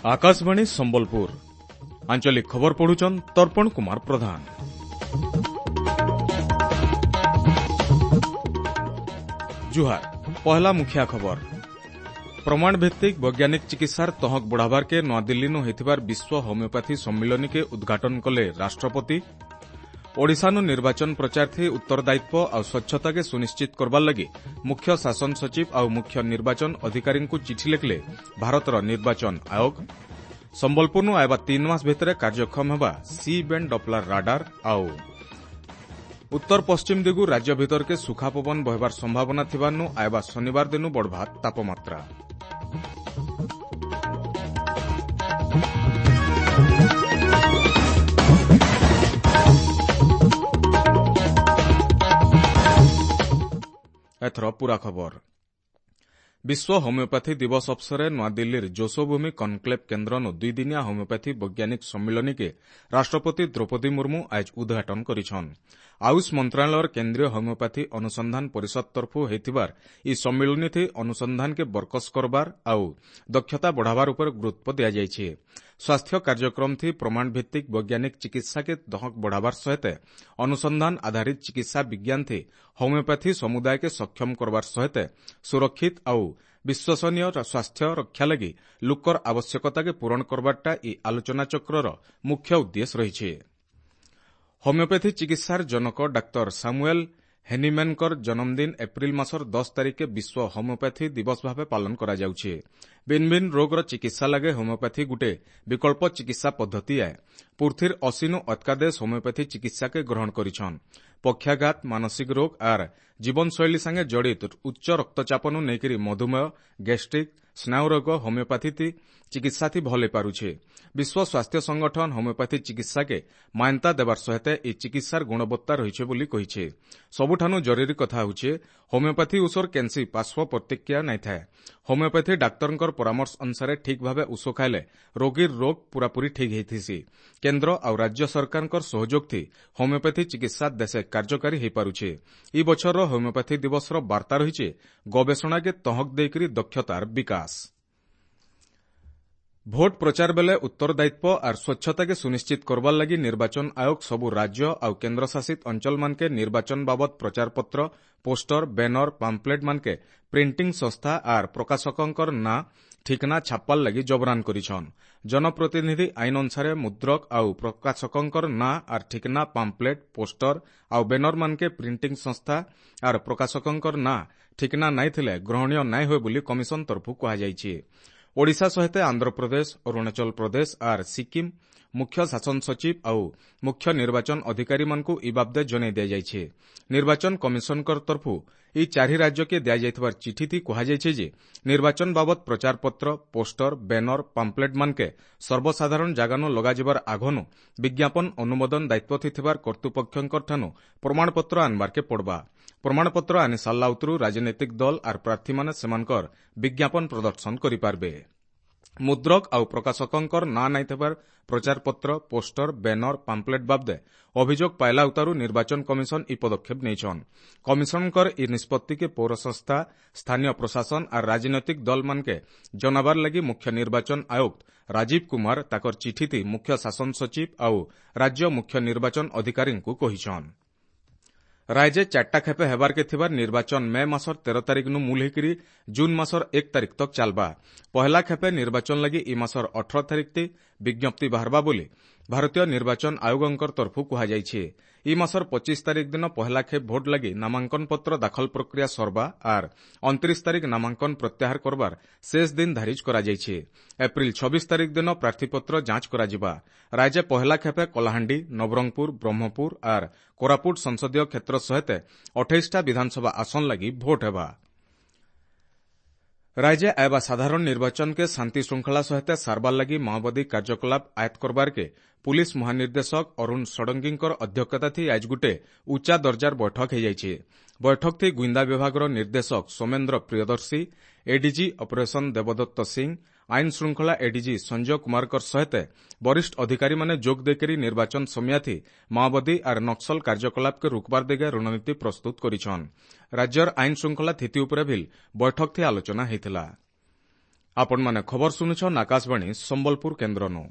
ଆକାଶବାଣୀ ସମ୍ବଲପୁର ଆଞ୍ଚଳିକ ଖବର ପଢୁଛନ୍ ତର୍ପଣ କୁମାର ପ୍ରଧାନ। ଜୁହାର, ପହଲା ମୁଖିଆ ଖବର। ପ୍ରମାଣ ଭିତ୍ତିକ ବୈଜ୍ଞାନିକ ଚିକିତ୍ସାର ତହକ ବଢ଼ାବାରକେ ନୂଆଦିଲ୍ଲୀନୁ ହୋଇଥିବାର ବିଶ୍ୱ ହୋମିଓପାଥି ସମ୍ମିଳନୀକେ ଉଦ୍ଘାଟନ କଲେ ରାଷ୍ଟ୍ରପତି। ଓଡ଼ିଶାନୁ ନିର୍ବାଚନ ପ୍ରଚାରଥି ଉତ୍ତରଦାୟିତ୍ୱ ଆଉ ସ୍ୱଚ୍ଛତାକେ ସୁନିଶ୍ଚିତ କରବାର ଲାଗି ମୁଖ୍ୟ ଶାସନ ସଚିବ ଆଉ ମୁଖ୍ୟ ନିର୍ବାଚନ ଅଧିକାରୀଙ୍କୁ ଚିଠି ଲେଖିଲେ ଭାରତର ନିର୍ବାଚନ ଆୟୋଗ। ସମ୍ବଲପୁରନୁ ଆଇବା 3 ମାସ ଭିତରେ କାର୍ଯ୍ୟକ୍ଷମ ହେବା ସି ବ୍ୟାଣ୍ଡ ଡପ୍ଲାର ରାଡାର। ଆଉ ଉତ୍ତର ପଶ୍ଚିମ ଦିଗୁ ରାଜ୍ୟ ଭିତରକେ ସୁଖା ପବନ ବହିବାର ସମ୍ଭାବନା ଥିବାରୁ ଆଇବା ଶନିବାର ଦିନୁ ବଢ଼ବା ତାପମାତ୍ରା। ଏଥର ପୁରା ଖବର। ବିଶ୍ୱ ହୋମିଓପାଥି ଦିବସ ଅବସରରେ ନୂଆଦିଲ୍ଲୀର ଯଶୋଭୂମି କନକ୍ଲେଭ୍ କେନ୍ଦ୍ରନୁ ଦୁଇଦିନିଆ ହୋମିଓପାଥି ବୈଜ୍ଞାନିକ ସମ୍ମିଳନୀକେ ରାଷ୍ଟ୍ରପତି ଦ୍ରୌପଦୀ ମୁର୍ମୁ ଆଜ ଉଦ୍ଘାଟନ କରିଛନ୍। ଆୟୁଷ ମନ୍ତ୍ରଣାଳୟର କେନ୍ଦ୍ରୀୟ ହୋମିଓପାଥି ଅନୁସନ୍ଧାନ ପରିଷଦ ତରଫୁ ହୋଇଥିବାର ଇ ସମ୍ମିଳନୀଥି ଅନୁସନ୍ଧାନକେ ବରକସ କରବାର ଆଉ ଦକ୍ଷତା ବଢ଼ାବାର ଉପରେ ଗୁରୁତ୍ୱ ଦିଆଯାଇଛି। ସ୍ୱାସ୍ଥ୍ୟ କାର୍ଯ୍ୟକ୍ରମଥି ପ୍ରମାଣଭିତ୍ତିକ ବୈଜ୍ଞାନିକ ଚିକିତ୍ସାକେ ଦହକ ବଢ଼ାବାର ସହିତ ଅନୁସନ୍ଧାନ ଆଧାରିତ ଚିକିତ୍ସା ବିଜ୍ଞାନଥି ହୋମିଓପାଥି ସମୁଦାୟକେ ସକ୍ଷମ କରବାର ସହିତ ସୁରକ୍ଷିତ ଆଉ ବିଶ୍ୱସନୀୟ ସ୍ୱାସ୍ଥ୍ୟ ରକ୍ଷା ଲାଗି ଲୋକର ଆବଶ୍ୟକତାକେ ପୂରଣ କରବାରଟା ଇ ଆଲୋଚନାଚକ୍ରର ମୁଖ୍ୟ ଉଦ୍ଦେଶ୍ୟ ରହିଛି। ହୋମିଓପାଥି ଚିକିତ୍ସାର ଜନକ ଡାକ୍ତର ସାମୁଏଲ ହେନିମ୍ୟାନଙ୍କର ଜନ୍ମଦିନ ଏପ୍ରିଲ ମାସର 10 ତାରିଖେ ବିଶ୍ୱ ହୋମିଓପାଥି ଦିବସ ଭାବେ ପାଳନ କରାଯାଉଛି। ଭିନ୍ନ ଭିନ୍ନ ରୋଗର ଚିକିତ୍ସା ଲାଗି ହୋମିଓପାଥି ଗୁଟେ ବିକଳ୍ପ ଚିକିତ୍ସା ପଦ୍ଧତି ଆଏ। ପୃଥିବୀର 80ନୁ ଅଧିକା ଦେଶ ହୋମିଓପାଥି ଚିକିତ୍ସାକେ ଗ୍ରହଣ କରିଛନ୍। ପକ୍ଷାଘାତ, ମାନସିକ ରୋଗ ଆର୍ ଜୀବନଶୈଳୀ ସାଙ୍ଗେ ଜଡ଼ିତ ଉଚ୍ଚ ରକ୍ତଚାପନୁ ନେଇକରି ମଧୁମେହ, ଗ୍ୟାଷ୍ଟ୍ରିକ୍, ସ୍ନାୟୁ ରୋଗ ହୋମିଓପାଥି ଚିକିତ୍ସାଥି ଭଲ ହେଇପାରୁଛେ। ବିଶ୍ୱ ସ୍ୱାସ୍ଥ୍ୟ ସଂଗଠନ ହୋମିଓପାଥି ଚିକିତ୍ସାକେ ମାନ୍ୟତା ଦେବାର ସହିତ ଏ ଚିକିତ୍ସାର ଗୁଣବତ୍ତା ରହିছে ବୋଲି କହିছে। ସବୁଠାନୁ ଜରୁରୀ କଥା ହେଉଛେ ହୋମିଓପାଥି ଔଷଧ କେନ୍ସି ପାର୍ଶ୍ୱ ପ୍ରତିକ୍ରିୟା ନାଇଁ ଥାଏ। ହୋମିଓପାଥି ଡାକ୍ତରଙ୍କର ପରାମର୍ଶ ଅନୁସାରେ ଠିକ୍ ଭାବେ ଔଷଧ ଖାଇଲେ ରୋଗୀର ରୋଗ ପୁରାପୁରି ଠିକ୍ ହେଇଥିସି। କେନ୍ଦ୍ର ଆଉ ରାଜ୍ୟ ସରକାରଙ୍କର ସହଯୋଗଥି ହୋମିଓପାଥି ଚିକିତ୍ସା ଦେଶେ କାର୍ଯ୍ୟକାରୀ ହେଇପାରୁଛେ। ଇ ବଛରର ହୋମିଓପାଥି ଦିବସର ବାର୍ତ୍ତା ରହିছে ଗବେଷଣାକେ ତହକ ଦେଇକରି ଦକ୍ଷତାର ବିକାଶ। ଭୋଟ ପ୍ରଚାର ବେଲେ ଉତ୍ତରଦାୟିତ୍ୱ ଆର୍ ସ୍ୱଚ୍ଛତାକେ ସୁନିଶ୍ଚିତ କରବାର ଲାଗି ନିର୍ବାଚନ ଆୟୋଗ ସବୁ ରାଜ୍ୟ ଆଉ କେନ୍ଦ୍ରଶାସିତ ଅଞ୍ଚଳମାନକେ ନିର୍ବାଚନ ବାବଦ ପ୍ରଚାରପତ୍ର, ପୋଷ୍ଟର, ବ୍ୟାନର, ପାମ୍ପଲେଟ୍ ମାନକେ ପ୍ରିଣ୍ଟିଂ ସଂସ୍ଥା ଆର୍ ପ୍ରକାଶକଙ୍କର ନାଁ ଠିକଣା ଛାପାର ଲାଗି ଜବରାନ କରିଛନ୍। ଜନପ୍ରତିନିଧି ଆଇନ ଅନୁସାରେ ମୁଦ୍ରକ ଆଉ ପ୍ରକାଶକଙ୍କର ନାଁ ଆର୍ ଠିକଣା ପାମ୍ପଲେଟ୍, ପୋଷ୍ଟର ଆଉ ବ୍ୟାନର ମାନକେ ପ୍ରିଣ୍ଟିଂ ସଂସ୍ଥା ଆର୍ ପ୍ରକାଶକଙ୍କର ନାଁ ଠିକଣା ନାଇଁ ଥିଲେ ଗ୍ରହଣୀୟ ନାଇଁ ହୁଏ ବୋଲି କମିଶନ ତରଫରୁ କୁହାଯାଇଛି। ଓଡ଼ିଶା ସହିତ ଆନ୍ଧ୍ରପ୍ରଦେଶ, ଅରୁଣାଚଳ ପ୍ରଦେଶ ଆର୍ ସିକିମ୍ ମୁଖ୍ୟ ଶାସନ ସଚିବ ଆଉ ମୁଖ୍ୟ ନିର୍ବାଚନ ଅଧିକାରୀମାନଙ୍କୁ ଇ ବାବଦେ ଜଣାଇ ଦିଆଯାଇଛି। ନିର୍ବାଚନ କମିଶନଙ୍କ ତରଫରୁ ଇ ଚାରି ରାଜ୍ୟକେ ଦିଆଯାଇଥିବାର ଚିଠିଥି କୁହାଯାଇଛି ଯେ ନିର୍ବାଚନ ବାବଦ ପ୍ରଚାରପତ୍ର, ପୋଷ୍ଟର, ବ୍ୟାନର, ପାମ୍ପଲେଟ୍ ମାନକେ ସର୍ବସାଧାରଣ ଜାଗାନୁ ଲଗାଯିବାର ଆଗନୁ ବିଜ୍ଞାପନ ଅନୁମୋଦନ ଦାୟିତ୍ୱ ଥିବାର କର୍ତ୍ତୃପକ୍ଷଙ୍କଠାନୁ ପ୍ରମାଣପତ୍ର ଆନବାରକେ ପଡ଼ବା। ପ୍ରମାଣପତ୍ର ଆନି ସାରିଲା ଉତରୁ ରାଜନୈତିକ ଦଳ ଆର୍ ପ୍ରାର୍ଥୀମାନେ ସେମାନଙ୍କର ବିଜ୍ଞାପନ ପ୍ରଦର୍ଶନ କରିପାରିବେ। ମୁଦ୍ରକ ଆଉ ପ୍ରକାଶକଙ୍କର ନାଁ ନାଇଁ ଥିବାର ପ୍ରଚାରପତ୍ର, ପୋଷ୍ଟର, ବ୍ୟାନର, ପାମ୍ପଲେଟ୍ ବାବଦେ ଅଭିଯୋଗ ପାଇଲା ଉତାରୁ ନିର୍ବାଚନ କମିଶନ ଇ ପଦକ୍ଷେପ ନେଇଛନ୍। କମିଶନଙ୍କର ଇ ନିଷ୍ପତ୍ତିକେ ପୌର ସଂସ୍ଥା, ସ୍ଥାନୀୟ ପ୍ରଶାସନ ଆର୍ ରାଜନୈତିକ ଦଳମାନକେ ଜଣାବାର ଲାଗି ମୁଖ୍ୟ ନିର୍ବାଚନ ଆୟୁକ୍ତ ରାଜୀବ କୁମାର ତାକର ଚିଠିଥି ମୁଖ୍ୟ ଶାସନ ସଚିବ ଆଉ ରାଜ୍ୟ ମୁଖ୍ୟ ନିର୍ବାଚନ ଅଧିକାରୀଙ୍କୁ କହିଛନ୍। ରାଜ୍ୟ 4ଟା ଖେପେ ହେବାରକେ ଥିବାର ନିର୍ବାଚନ ମେ ମାସର 13 ତାରିଖନୁ ମୂଲ ହେଇକରି ଜୁନ୍ ମାସର 1 ତାରିଖ ତକ ଚାଲବା। ପହଲା ଖେପେ ନିର୍ବାଚନ ଲାଗି ଇ ମାସର 18 ତାରିଖ ବିଜ୍ଞପ୍ତି ବାହାରବା ବୋଲି ଭାରତୀୟ ନିର୍ବାଚନ ଆୟୋଗଙ୍କର ତରଫରୁ କୁହାଯାଇଛି। ଇ ମାସର 25 ତାରିଖ ଦିନ ପହଲା ଖେପ ଭୋଟ ଲାଗି ନାମାଙ୍କନ ପତ୍ର ଦାଖଲ ପ୍ରକ୍ରିୟା ସରବା ଆର୍ 29 ତାରିଖ ନାମାଙ୍କନ ପ୍ରତ୍ୟାହାର କରବାର ଶେଷ ଦିନ ଧାରିଜ କରାଯାଇଛି। ଏପ୍ରିଲ 26 ତାରିଖ ଦିନ ପ୍ରାର୍ଥୀପତ୍ର ଯାଞ୍ଚ କରାଯିବା। ରାଜ୍ୟ ପହଲା ଖେପେ କଳାହାଣ୍ଡି, ନବରଙ୍ଗପୁର, ବ୍ରହ୍ମପୁର ଆର୍ କୋରାପୁଟ ସଂସଦୀୟ କ୍ଷେତ୍ର ସହିତ 28ଟା ବିଧାନସଭା ଆସନ ଲାଗି ଭୋଟ ହେବା। ରାଜ୍ୟ ଆଇବା ସାଧାରଣ ନିର୍ବାଚନକେ ଶାନ୍ତି ଶୃଙ୍ଖଳା ସହିତ ସାରବାର ଲାଗି ମାଓବାଦୀ କାର୍ଯ୍ୟକଳାପ ଆୟତ୍ତ କରବାରକେ ପୁଲିସ ମହାନିର୍ଦ୍ଦେଶକ ଅରୁଣ ଷଡ଼ଙ୍ଗୀଙ୍କର ଅଧ୍ୟକ୍ଷତାଥି ଆଜ ଗୁଟେ ଉଚ୍ଚା ଦର୍ଜାର ବୈଠକ ହୋଇଯାଇଛି। ବୈଠକଥି ଗୁଇନ୍ଦା ବିଭାଗର ନିର୍ଦ୍ଦେଶକ ସୌମେନ୍ଦ୍ର ପ୍ରିୟଦର୍ଶୀ, ଏଡିଜି ଅପରେସନ ଦେବଦତ୍ତ ସିଂ, ଆଇନ ଶୃଙ୍ଖଳା ଏଡିଜି ସଞ୍ଜୟ କୁମାରଙ୍କ ସହିତ ବରିଷ୍ଠ ଅଧିକାରୀମାନେ ଯୋଗ ଦେଇକରି ନିର୍ବାଚନ ସମୟାଥି ମାଓବାଦୀ ଆର୍ ନକ୍ସଲ କାର୍ଯ୍ୟକଳାପକେ ରୋକବାର ଦିଗେ ରଣନୀତି ପ୍ରସ୍ତୁତ କରିଛନ୍। ରାଜ୍ୟର ଆଇନ ଶୃଙ୍ଖଳା ସ୍ଥିତି ଉପରେ ଭିଲ୍ ବୈଠକଥି ଆଲୋଚନା ହୋଇଥିଲା। ଆପଣମାନେ ଖବର ଶୁଣୁଛନ୍ ଆକାଶବାଣୀ ସମ୍ବଲପୁର କେନ୍ଦ୍ରନୁ।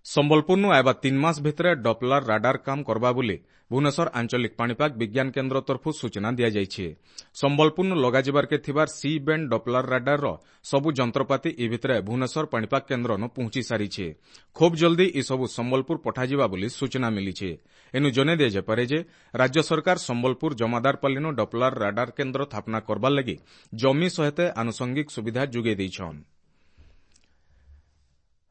ସମ୍ବଲପୁରନୁ ଆଇବା 3 ମାସ ଭିତରେ ଡପଲର ରାଡାର କାମ କରବା ବୋଲି ଭୁବନେଶ୍ୱର ଆଞ୍ଚଳିକ ପାଣିପାଗ ବିଜ୍ଞାନ କେନ୍ଦ୍ର ତରଫରୁ ସୂଚନା ଦିଆଯାଇଛି। ସମ୍ବଲପୁରନୁ ଲଗାଯିବାରକେ ଥିବାର ସି ବ୍ୟାଣ୍ଡ ଡପଲର ରାଡାରର ସବୁ ଯନ୍ତ୍ରପାତି ଇ ଭିତରେ ଭୁବନେଶ୍ୱର ପାଣିପାଗ କେନ୍ଦ୍ରନୁ ପହଞ୍ଚି ସାରିଛି। ଖୁବ୍ ଜଲ୍ଦି ଏସବୁ ସମ୍ବଲପୁର ପଠାଯିବା ବୋଲି ସୂଚନା ମିଳିଛି। ଏନୁ ଜଣାଇ ଦିଆଯାଇପାରେ ଯେ ରାଜ୍ୟ ସରକାର ସମ୍ବଲପୁର ଜମାଦାରପାଲିନୁ ଡପଲର ରାଡାର କେନ୍ଦ୍ର ସ୍ଥାପନା କରବାର ଲାଗି ଜମି ସହିତ ଆନୁଷଙ୍ଗିକ ସୁବିଧା ଯୋଗାଇ ଦେଇଛନ୍।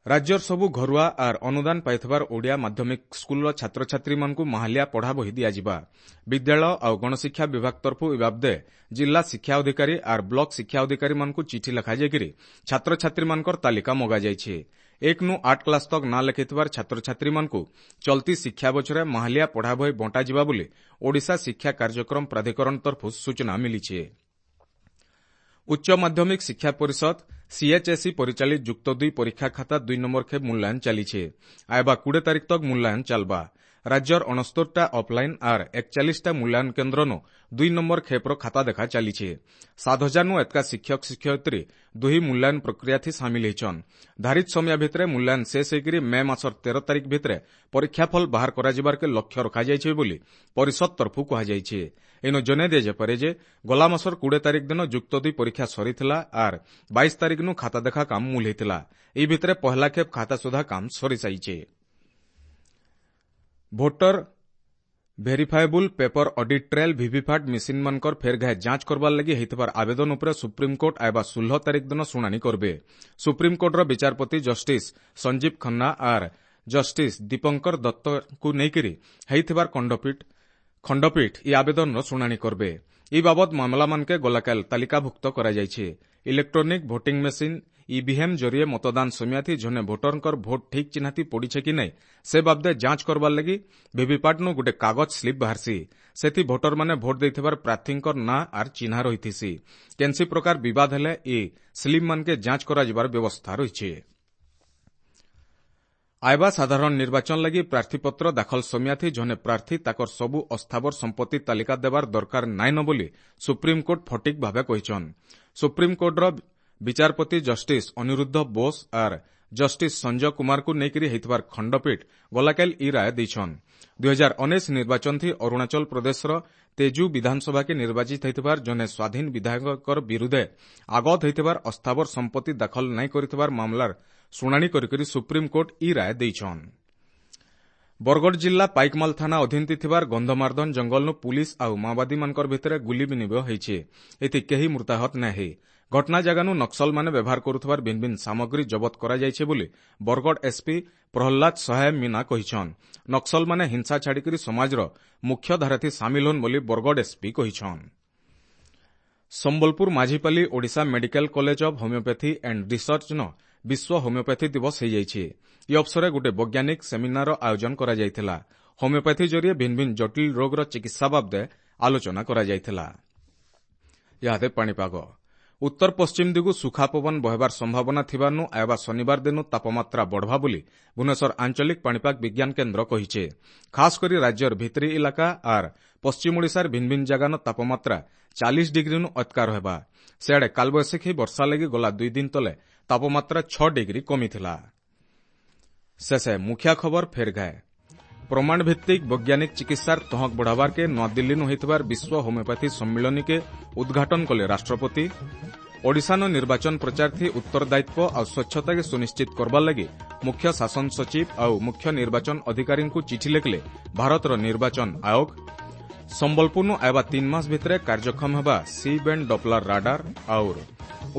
ରାଜ୍ୟର ସବୁ ଘରୁଆ ଆର୍ ଅନୁଦାନ ପାଇଥିବାର ଓଡ଼ିଆ ମାଧ୍ୟମିକ ସ୍କୁଲର ଛାତ୍ରଛାତ୍ରୀମାନଙ୍କୁ ମାହାଲିଆ ପଢ଼ା ବହି ଦିଆଯିବା। ବିଦ୍ୟାଳୟ ଆଉ ଗଣଶିକ୍ଷା ବିଭାଗ ତରଫରୁ ଏ ବାବଦେ ଜିଲ୍ଲା ଶିକ୍ଷା ଅଧିକାରୀ ଆର୍ ବ୍ଲକ ଶିକ୍ଷା ଅଧିକାରୀମାନଙ୍କୁ ଚିଠି ଲେଖାଯାଇକରି ଛାତ୍ରଛାତ୍ରୀମାନଙ୍କର ତାଲିକା ମଗାଯାଇଛି। 1 ନୁ 8 କ୍ଲାସ୍ ତକ୍ ନାଁ ଲେଖିଥିବାର ଛାତ୍ରଛାତ୍ରୀମାନଙ୍କୁ ଚଲତି ଶିକ୍ଷା ବଛରେ ମାହାଲିଆ ପଢ଼ା ବହି ବଣ୍ଟାଯିବା ବୋଲି ଓଡ଼ିଶା ଶିକ୍ଷା କାର୍ଯ୍ୟକ୍ରମ ପ୍ରାଧିକରଣ ତରଫରୁ ସୂଚନା ମିଳିଛି। ଉଚ୍ଚ ମାଧ୍ୟମିକ ଶିକ୍ଷା ପରିଷଦ ସିଏଚ୍ଏସ୍ଇ ପରିଚାଳିତ ଯୁକ୍ତ 2 ପରୀକ୍ଷା ଖାତା 2 ନମ୍ବର ଖେପ୍ ମୂଲ୍ୟାୟନ ଚାଲିছে। ଆଇବା 20 ତାରିଖ ତକ୍ ମୂଲ୍ୟାୟନ ଚାଲବା। ରାଜ୍ୟର 69ଟା ଅଫଲାଇନ୍ ଆର୍ 41ଟା ମୂଲ୍ୟାୟନ କେନ୍ଦ୍ରନୁ 2 ନମ୍ବର ଖେପ୍ର ଖାତା ଦେଖା ଚାଲିছে। 7000ନୁ ଏତକା ଶିକ୍ଷକ ଶିକ୍ଷୟିତ୍ରୀ ଦୁହି ମୂଲ୍ୟାୟନ ପ୍ରକ୍ରିୟାଥି ସାମିଲ ହେଇଛନ୍। ଧାରିତ ସମୟ ଭିତରେ ମୂଲ୍ୟାୟନ ଶେଷ ହେଇକରି ମେ ମାସର 13 ତାରିଖ ଭିତରେ ପରୀକ୍ଷାଫଳ ବାହାର କରାଯିବାରକେ ଲକ୍ଷ୍ୟ ରଖାଯାଇଛି ବୋଲି ପରିଷଦ ତରଫରୁ କୁହାଯାଇଛି। ଏନୁ ଜଣାଇ ଦିଆଯାଇପାରେ ଯେ ଗଲା ମାସର 20 ତାରିଖ ଦିନ ଯୁକ୍ତ 2 ପରୀକ୍ଷା ସରିଥିଲା ଆର୍ 22 ତାରିଖନୁ ଖାତା ଦେଖା କାମ ମୂଲ ହେଇଥିଲା। ଏହି ଭିତରେ ପହଲା ଖେପ୍ ଖାତା ସୁଧା କାମ ସରିସାରିছে। Voter verifiable paper audit trail VVPAT ମେସିନ୍ମାନଙ୍କର ଫେର୍ ଘାଏ ଯାଞ୍ଚ କରବାର ଲାଗି ହେଇଥିବାର ଆବେଦନ ଉପରେ ସୁପ୍ରିମକୋର୍ଟ ଆଇବା 16 ତାରିଖ ଦିନ ଶୁଣାଣି କରିବେ। ସୁପ୍ରିମକୋର୍ଟର ବିଚାରପତି ଜଷ୍ଟିସ୍ ସଞ୍ଜୀବ ଖନ୍ନା ଆର୍ ଜଷ୍ଟିସ୍ ଦୀପଙ୍କର ଦତ୍ତଙ୍କୁ ନେଇକରି ହେଇଥିବାର ଖଣ୍ଡପୀଠ ଇ ଆବେଦନର ଶୁଣାଣି କରିବେ। ଇ ବାବଦ ମାମଲାମାନକେ ଗଲାକାଲ ତାଲିକାଭୁକ୍ତ କରାଯାଇଛି। ଇଲେକ୍ଟ୍ରୋନିକ୍ ଭୋଟିଂ ମେସିନ୍ ଇଭିଏମ୍ ଜରିଏ ମତଦାନ ସମୟାଥି ଜଣେ ଭୋଟରଙ୍କର ଭୋଟ ଠିକ୍ ଚିହ୍ନାତି ପଡ଼ିছে କି ନାଇଁ ସେ ବାବଦେ ଯାଞ୍ଚ କରବାର ଲାଗି ଭିଭିପାଟ୍ନୁ ଗୋଟେ କାଗଜ ସ୍ଲିପ୍ ବାହାରସି। ସେଥି ଭୋଟରମାନେ ଭୋଟ ଦେଇଥିବାର ପ୍ରାର୍ଥୀଙ୍କର ନାଁ ଆର୍ ଚିହ୍ନା ରହିଥିସି। କେନ୍ସି ପ୍ରକାର ବିବାଦ ହେଲେ ଇ ସ୍ଲିପ୍ମାନକେ ଯାଞ୍ଚ କରାଯିବାର ବ୍ୟବସ୍ଥା ରହିଛି। ଆଇବା ସାଧାରଣ ନିର୍ବାଚନ ଲାଗି ପ୍ରାର୍ଥୀପତ୍ର ଦାଖଲ ସମୟାଥି ଜଣେ ପ୍ରାର୍ଥୀ ତାକର ସବୁ ଅସ୍ଥାବର ସମ୍ପତ୍ତି ତାଲିକା ଦେବାର ଦରକାର ନାଇଁନ ବୋଲି ସୁପ୍ରିମକୋର୍ଟ ଫଟିକ୍ ଭାବେ କହିଛନ୍। ସୁପ୍ରିମକୋର୍ଟର ବିଚାରପତି ଜଷ୍ଟିସ୍ ଅନିରୁଦ୍ଧ ବୋଷ ଆର୍ ଜଷ୍ଟିସ୍ ସଞ୍ଜୟ କୁମାରଙ୍କୁ ନେଇକରି ହେଇଥିବାର ଖଣ୍ଡପୀଠ ଗଲାକାଲି ଇ ରାୟ ଦେଇଛନ୍। 2019 ନିର୍ବାଚନଥି ଅରୁଣାଚଳ ପ୍ରଦେଶର ତେଜୁ ବିଧାନସଭାକେ ନିର୍ବାଚିତ ହେଇଥିବାର ଜଣେ ସ୍ୱାଧୀନ ବିଧାୟକଙ୍କର ବିରୁଦ୍ଧେ ଆଗତ ହେଇଥିବାର ଅସ୍ଥାବର ସମ୍ପତ୍ତି ଦାଖଲ ନାଇଁ କରିଥିବାର ମାମଲାର ଶୁଣାଣି କରିକରି ସୁପ୍ରିମକୋର୍ଟ ଇ ରାୟ ଦେଇଛନ୍। ବରଗଡ଼ ଜିଲ୍ଲା ପାଇକମାଲ ଥାନା ଅଧୀନତି ଥିବାର ଗନ୍ଧମାର୍ଦ୍ଦନ ଜଙ୍ଗଲନୁ ପୁଲିସ୍ ଆଉ ମାଓବାଦୀମାନଙ୍କର ଭିତରେ ଗୁଲି ବିନିମୟ ହେଇଛି। ଏଥି କେହି ମୃତାହତ ନାଇଁ ହେଇ। ଘଟଣା ଜାଗାନୁ ନକ୍ସଲମାନେ ବ୍ୟବହାର କରୁଥିବାର ଭିନ୍ନ ଭିନ୍ନ ସାମଗ୍ରୀ ଜବତ କରାଯାଇଛି ବୋଲି ବରଗଡ଼ ଏସ୍ପି ପ୍ରହ୍ଲାଦ ସହାୟ ମୀନା କହିଛନ୍। ନକ୍ସଲମାନେ ହିଂସା ଛାଡ଼ିକରି ସମାଜର ମୁଖ୍ୟ ଧାରାଥି ସାମିଲ ହନ୍ ବୋଲି ବରଗଡ଼ ଏସ୍ପି କହିଛନ୍। Sambalpur Majhipali Odisha medical college of homeopathy and ରିସର୍ଚ୍ଚନ ବିଶ୍ୱ ହୋମିଓପାଥି ଦିବସ ହୋଇଯାଇଛି। ଇ ଅବସରରେ ଗୋଟିଏ ବୈଜ୍ଞାନିକ ସେମିନାରର ଆୟୋଜନ କରାଯାଇଥିଲା। ହୋମିଓପାଥି ଜରିଏ ଭିନ୍ନ ଭିନ୍ନ ଜଟିଳ ରୋଗର ଚିକିତ୍ସା ବାବଦେ ଆଲୋଚନା କରାଯାଇଥିଲା। ଇହାଦେ ପାଣିପାଗ। ଉତ୍ତର ପଶ୍ଚିମ ଦିଗୁ ସୁଖା ପବନ ବହେବାର ସମ୍ଭାବନା ଥିବାରୁ ଆଇବା ଶନିବାର ଦିନ ତାପମାତ୍ରା ବଢ଼ବା ବୋଲି ଭୁବନେଶ୍ୱର ଆଞ୍ଚଳିକ ପାଣିପାଗ ବିଜ୍ଞାନ କେନ୍ଦ୍ର କହିছে। ଖାସ୍ କରି ରାଜ୍ୟର ଭିତିରି ଇଲାକା ଆର୍ ପଶ୍ଚିମ ଓଡ଼ିଶାର ଭିନ୍ନ ଭିନ୍ନ ଜାଗାନ ତାପମାତ୍ରା 40 ଡିଗ୍ରୀନୁ ଅତକା ରହିବା। ସେଆଡ଼େ କାଲବୈଶାଖୀ ବର୍ଷା ଲାଗି ଗଲା 2 ଦିନ ତଲେ ତାପମାତ୍ରା 6 ଡିଗ୍ରୀ କମିଥିଲା। ଶେଷେ ମୁଖିଆ ଖବର ଫେର୍ ଘାଏ। ପ୍ରମାଣ ଭିତ୍ତିକ ବୈଜ୍ଞାନିକ ଚିକିତ୍ସାର ତହକ ବଢ଼ାବାରକେ ନୂଆଦିଲ୍ଲୀନୁ ହୋଇଥିବାର ବିଶ୍ୱ ହୋମିଓପାଥି ସମ୍ମିଳନୀକେ ଉଦ୍ଘାଟନ କଲେ ରାଷ୍ଟ୍ରପତି। ଓଡ଼ିଶାନ ନିର୍ବାଚନ ପ୍ରଚାରଥି ଉତ୍ତରଦାୟିତ୍ୱ ଆଉ ସ୍ୱଚ୍ଛତାକେ ସୁନିଶ୍ଚିତ କରବାର ଲାଗି ମୁଖ୍ୟ ଶାସନ ସଚିବ ଆଉ ମୁଖ୍ୟ ନିର୍ବାଚନ ଅଧିକାରୀଙ୍କୁ ଚିଠି ଲେଖିଲେ ଭାରତର ନିର୍ବାଚନ ଆୟୋଗ। ସମ୍ବଲପୁରନୁ ଆଇବା 3 ମାସ ଭିତରେ କାର୍ଯ୍ୟକ୍ଷମ ହେବା ସି ବ୍ୟାଣ୍ଡ ଡପଲର ରାଡାର। ଆଉର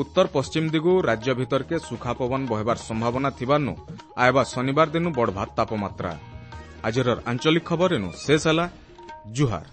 ଉତ୍ତର ପଶ୍ଚିମ ଦିଗୁ ରାଜ୍ୟ ଭିତରକେ ସୁଖା ପବନ ବହେବାର ସମ୍ଭାବନା ଥିବାରୁ ଆଇବା ଶନିବାର ଦିନୁ ବଢ଼ବା ତାପମାତ୍ରା। ଆଜିର ଆଞ୍ଚଳିକ ଖବର ଏନୁ ଶେଷ ହେଲା। ଜୁହାର।